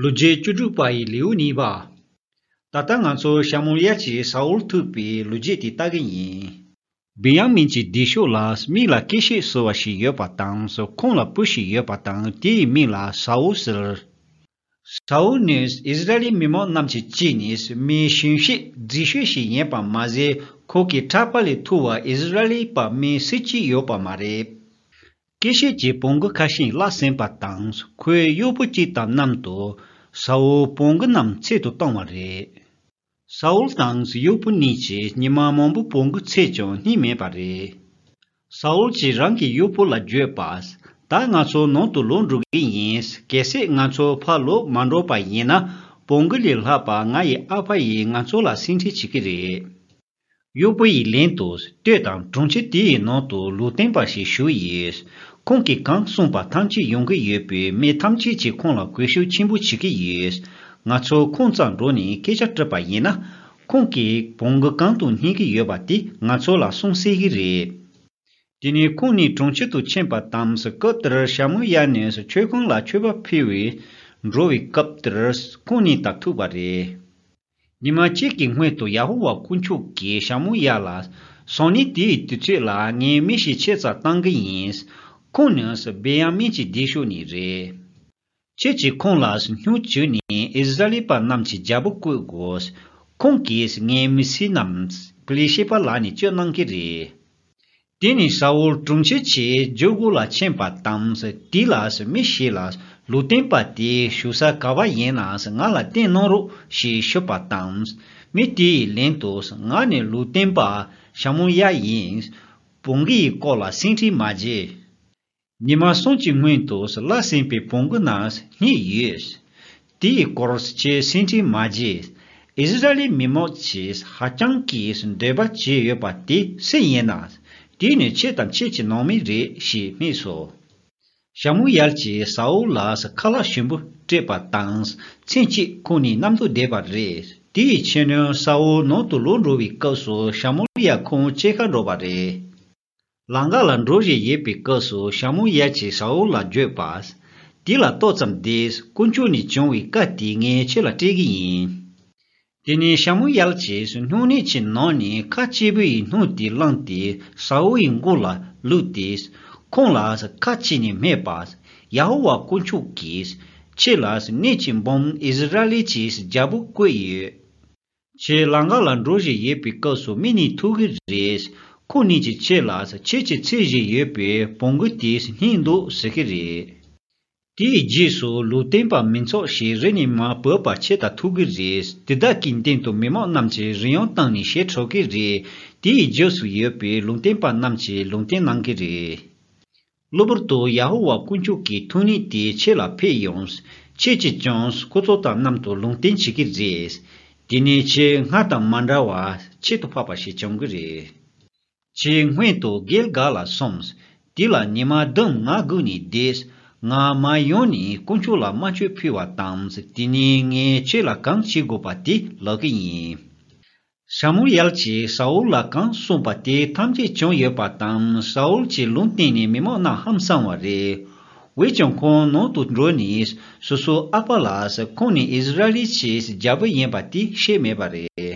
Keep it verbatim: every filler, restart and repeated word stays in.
ལོ་རྒྱུས་བཅུ་དྲུག་པ་ཡི་ལེའུ་གཉིས་པ། ད་ལྟ་ང་ཚོ་ཤ་མུ་ཡལ་གྱིས་ས་ཨུལ་ཐུག་པའི་ལོ་རྒྱུས་དེ་ལྟ་གི་ཡིན། བེན་ཡ་མིན་གྱི་སྡེ་ཤོག་ལ་མིག་ལ་སྐད་ཤེད་ཟེར་བ་ཞིག་ཡོད་པ་དང་། ཁོང་ལ་བུ་ཞིག་ཡོད་པ་དང་། དེའི་མིང་ལ་ས་ཨུལ་ཟེར། ས་ཨུལ་ནི་ཨིསི་ར་ཨེལ་མི་མང་རྣམས་ཀྱི་དཀྱིལ་ནས་མི་གཞོན་ཤོས་མཛེས་ཤོས་ཤིག་ཡིན་པ་མ་ཟད། ཁོ་གི་གྲྭ་པ་ལས་ཐུ་བ་ཨིསི་ར་ཨེལ་པ་མི་སུ་གཅིག་ཡོད་པ་མ་རེད། སྐྱེ་ཤེས་ཀྱི་བོང་གུ་ཁ་ཤས་བརླགས་ཟིན་པ་དང་། ཁོའི་གཡོག་པོ་གཅིག་དང་མཉམ་དུ་ས་ཨུལ་བོང་གུ་རྣམས་འཚོལ་དུ་བཏང་བ་རེད། ས་ཨུལ་དང་གཡོག་པོ་གཉིས་ཀྱིས་ཉི་མ་མང་པོ་བོང་གུ་འཚོལ་ཀྱང་རྙེད་མེད་པ་རེད། ས་ཨུལ་གྱིས་རང་གི་གཡོག་པོ་ལ་བརྗོད་པ། ད་ང་ཚོ་ནང་དུ་ལོག་འགྲོ་གི་ཡིན། གལ་སྲིད་ང་ཚོ་ཕར་ལོག་མ་འགྲོ་པ་ཡིན་ན། བོང་གུ་ལས་ལྷག་པ་ང་ཡི་ཨ་ཕ་ཡིས་ང་ཚོ་ལ་སེམས་ཁྲལ་བྱེད་ཀྱི་རེད། གཡོག་པོ་ཡི་ལན་དུ་ལྟོས་དང་། གྲོང་ཁྱེར་དེ་ཡི་ནང་དུ་ལུང་སྟོན་པ་ཞིག་བཞུགས་ཡོད། ཁོང་གིས་གང་གསུངས་པ་ཐམས་ཅད་ཡོང་གི་ཡོད་པས། མི་ཐམས་ཅད་ཀྱིས་ཁོང་ལ་གུས་ཞབས་ཆེན་པོ་བྱེད་ཀྱི་ཡོད། ང་ཚོ་ཁོང་རྩར་འགྲོ་ནས་སྐད་ཆ་དྲིས་པ་ཡིན་ན། ཁོང་གིས་བོང་གུ་གང་དུ་རྙེད་ཀྱི་ཡོད་པ་དེ་ང་ཚོ་ལ་གསུངས་སྲིད་ཀྱི་རེད། དེ་ནས་ཁོང་ནི་གྲོང་ཁྱེར་དུ་ཕྱིན་པ་དང་། སྐབས་དེར་ཤ་མུ་ཡལ་ནི་མཆོད་ཁང་ལ་མཆོད་པ་ཕུལ་བར་འགྲོ་བའི་སྐབས་དེར་ཁོང་གཉིས་དང་ཐུག་པ་རེད། ཉི་མ་གཅིག་གི་སྔོན་དུ་ཡ་ཧོ་ཝཱ་དཀོན་མཆོག་གིས་ཤ་མུ་ཡལ་ལ། སང་ཉིན་དེའི་དུས་ཚོད་ལ་ངས་མི་ཞིག་ཁྱེད་རྩར་བཏང་གི་ཡིན། ཁོང་ནི་བེན་ཡ་མིན་གྱི་སྡེ་ཤོག་ནས་རེད། ཁྱེད་ཀྱིས་ཁོང་ལ་སྨྱུག་གྱོན་ནས་ཨིསི་ར་ཨེལ་པ་རྣམས་ཀྱི་རྒྱལ་པོ་བསྐོ་དགོས། ཁོང་གིས་ངའི་མི་སེར་རྣམས་པེ་ལི་ཤེད་པ་ལག་ནས་སྐྱོབ་གནང་གི་རེད། དེ་ནས་ས་ཨུལ་གྲོང་ཁྱེར་གྱི་རྒྱལ་སྒོ་ལ་ཕྱིན་པ་དང་། དེ་ལ་མི་ཞིག་ལ། ལུང་སྟོན་པ་དེ་བཞུགས་ས་ག་པར་ཡིན་ན་ང་ལ་བསྟན་གནང་རོགས་ཞེས་ཞུས་པ་དང་། མི་དེ་ཡི་ལན་དུ། ང་ནི་ལུང་སྟོན་པ་ཤ་མུ་ཡལ་ཡིན། བོང་གུ་ཡི་སྐོར་ལ་སེམས་ཁྲལ་མ་བྱེད། ཉི་མ་གསུམ་གྱི་སྔོན་དུ་བརླགས་ཟིན་པའི་བོང་གུ་རྣམས་རྙེད་ཡོད། དེའི་སྐོར་ཁྱེད་སེམས་ཁྲལ་མ་བྱེད། ཨིསི་ར་ཨེལ་མི་མང་གིས་ཧ་ཅང་གི་འདོད་པ་བྱས་ཡོད་པ་དེ་སུ་ཡིན་ན། དེ་ནི་ཁྱེད་དང་ཁྱེད་ཀྱི་ནང་མི་རེད་ཞེས་སྨྲས་སོ། ཤ་མུ་ཡལ་གྱིས་ས་ཨུལ་ལ་ཁ་ལག་ཞིམ་པོ་སྤྲད་པ་དང་། མཚན་གཅིག་ཁོང་གཉིས་མཉམ་དུ་བསྡད་པ་རེད། དེ་ཡི་ཕྱི་ནང་ས་ཨུལ་ནང་དུ་ལོག་འགྲོ་བའི་སྐབས་སུ་ཤ་མུ་ཡལ་ཁོང་ཕྱེད་ཀ་འགྲོ་བ་རེད། ལམ་ཁ་ལ་འགྲོ་བཞིན་ཡོད་པའི་སྐབས་སུ་ཤ་མུ་ཡལ་གྱིས་ས་ཨུལ་ལ་བརྗོད་པ། དེ་ལ་ཏོག་ཙམ་བསྡད། དཀོན་མཆོག་ནས་བྱུང་བའི་བཀའ་དེ་ངས་ཁྱེད་ལ་སྤྲད་ཀྱི་ཡིན། དེ་ནས་ཤ་མུ་ཡལ་གྱིས་སྨྱུང་གནས་ཀྱི་ནང་ནས་ཁ་གཅིག་པུའི་སྣུམ་དེ་བླངས་ཏེ་ས་ཨུལ་གྱི་མགོ་ལ་བླུགས་ཏེ། ཁོང་ལ་ཁ་གཅིག་ནས་སྨྲས་པ། ཡ་ཧོ་ཝཱ་དཀོན་མཆོག་གིས་ཁྱེད་ལ་གནས་ཀྱི་འབངས་ཨིསི་ར་ཨེལ་གྱི་རྒྱལ་པོ་བསྐོས་ཡོད། ཁྱེད་ལམ་ཁ་ལ་འགྲོ་བཞིན་ཡོད་པའི་སྐབས་སུ་མི་གཉིས་ཐུག་གི་རེད། ཁོ་གཉིས་ཀྱིས་ཁྱེད་ལ་ཁྱེད་ཀྱིས་འཚོལ་བཞིན་ཡོད་པའི་བོང་གུ་དེ་རྙེད་འདུག་ཟེར་གྱི་རེད། དེའི་རྗེས་སུ་ལུང་སྟོན་པ་མི་ཚོགས་ཤིག་རི་ནས་མར་བབས་པ་ཁྱེད་དང་ཐུག་གི་རེད། དེ་དག་གི་མདུན་དུ་མི་མང་རྣམས་ཀྱིས་རི་དབྱངས་བཏང་ནས་གཞས་འཁྲབ་ཀྱི་རེད། དེའི་རྗེས་སུ་ཡོད་པའི་ལུང་སྟོན་པ་རྣམས་ཀྱིས་ལུང་བསྟན་གནང་གི་རེད། གློ་བུར་དུ་ཡ་ཧོ་ཝཱ་དཀོན་མཆོག་གི་ཐུགས་ཉིད་དེ་ཁྱེད་ལ་ཕེབས་ཡོང་། ཁྱེད་ཀྱིས་ཀྱང་ཁོ་ཚོ་དང་མཉམ་དུ་ལུང་བསྟན་བྱེད་ཀྱི་རེད། དེ་ནས་ཁྱེད་སྔར་དང་མ་འདྲ་བར་ཁྱད་དུ་འཕགས་པ་ཞིག་བྱུང་གི་རེད། ཁྱེད་སྔོན་དུ་གིལ་ག་ལ་སོང་། དེ་ལ་ཉི་མ་བདུན་ང་སྒུག་ནས་བསྡད། ང་མར་ཡོང་ནས་དཀོན་མཆོག་ལ་དམར་མཆོད་ཕུལ་བ་དང་། དེ་ནས་ངས་ཁྱེད་ལ་གང་བྱེད་དགོས་པ་དེ་ལབ་ཀྱི་ཡིན། ཤ་མུ་ཡལ་གྱིས་ས་ཨུལ་ལ་གང་གསུངས་པ་དེ་ཐམས་ཅད་བྱུང་ཡོད་པ་དང་། ས་ཨུལ་གྱིས་ལུང་བསྟན་ནས་མི་མང་རྣམས་ཧང་སངས་པ་རེད། འོན་ཀྱང་ཁོང་ནང་དུ་འགྲོ་ནས་སོ་སོའི་ཨ་ཕ་ལ་ཁོང་ནི་ཨིསི་ར་ཨེལ་གྱི་རྒྱལ་པོ་ཡིན་པ་དེ་ཤེས་མེད་པ་རེད།